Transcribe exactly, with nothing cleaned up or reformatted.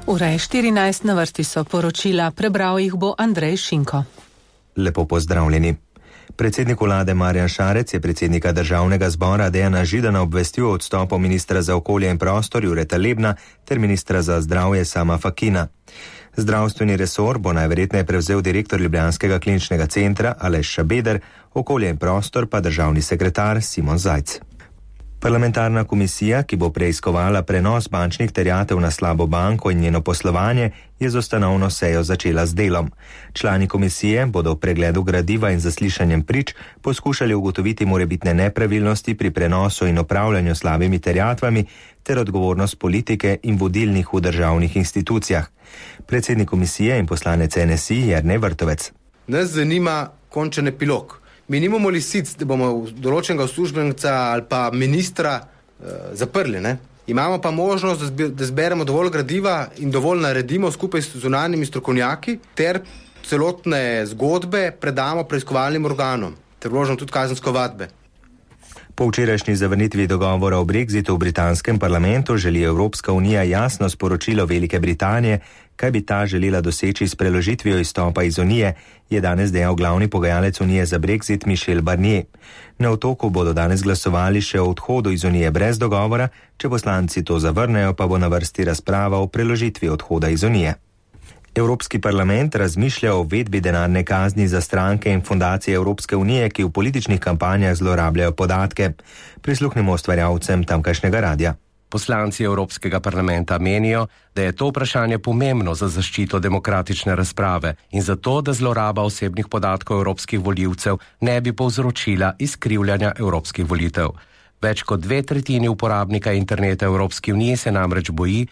Ura je štirinajst, na vrsti so poročila, prebral jih bo Andrej Šinko. Lepo pozdravljeni. Predsednik vlade Marjan Šarec je predsednika državnega zbora Dejana Židana obvestil o odstopu ministra za okolje in prostor Jureta Lebna ter ministra za zdravje Sama Fakina. Zdravstveni resor bo najverjetneje prevzel direktor Ljubljanskega kliničnega centra Aleš Šabeder, okolje in prostor pa državni sekretar Simon Zajc. Parlamentarna komisija, ki bo preiskovala prenos bančnih terjatev na slabo banko in njeno poslovanje, je z ustanovno sejo začela z delom. Člani komisije bodo v pregledu gradiva in zaslišanjem prič poskušali ugotoviti morebitne nepravilnosti pri prenosu in upravljanju slabimi terjatvami ter odgovornost politike in vodilnih v državnih institucijah. Predsednik komisije in poslanec N S I Jernej Vrtovec. Nas zanima končen epilog. Mi nimamo lisic, da bomo določenega uslužbenca ali pa ministra eh, zaprli, ne? Imamo pa možnost, da zberemo dovolj gradiva in dovolj naredimo skupaj s zunanjimi strokovnjaki ter celotne zgodbe predamo preiskovalnim organom ter vložimo tudi kazensko ovadbe. Po včerajšnji zavrnitvi dogovora o brexitu v britanskem parlamentu želi Evropska unija jasno sporočilo Velike Britanije, kaj bi ta želela doseči s preložitvijo izstopa iz Unije, je danes dejal glavni pogajalec Unije za brexit Michel Barnier. Na otoku bodo danes glasovali še o odhodu iz Unije brez dogovora, če poslanci to zavrnejo, pa bo na vrsti razprava o preložitvi odhoda iz Unije. Evropski parlament razmišlja o uvedbi denarne kazni za stranke in fundacije Evropske unije, ki v političnih kampanjah zlorabljajo podatke. Prisluhnimo ustvarjalcem tamkajšnjega radia. Poslanci Evropskega parlamenta menijo, da je to vprašanje pomembno za zaščito demokratične razprave in zato, da zloraba osebnih podatkov evropskih volivcev ne bi povzročila izkrivljanja evropskih volitev. Več kot dve tretjini uporabnika interneta Evropske unije se namreč boji,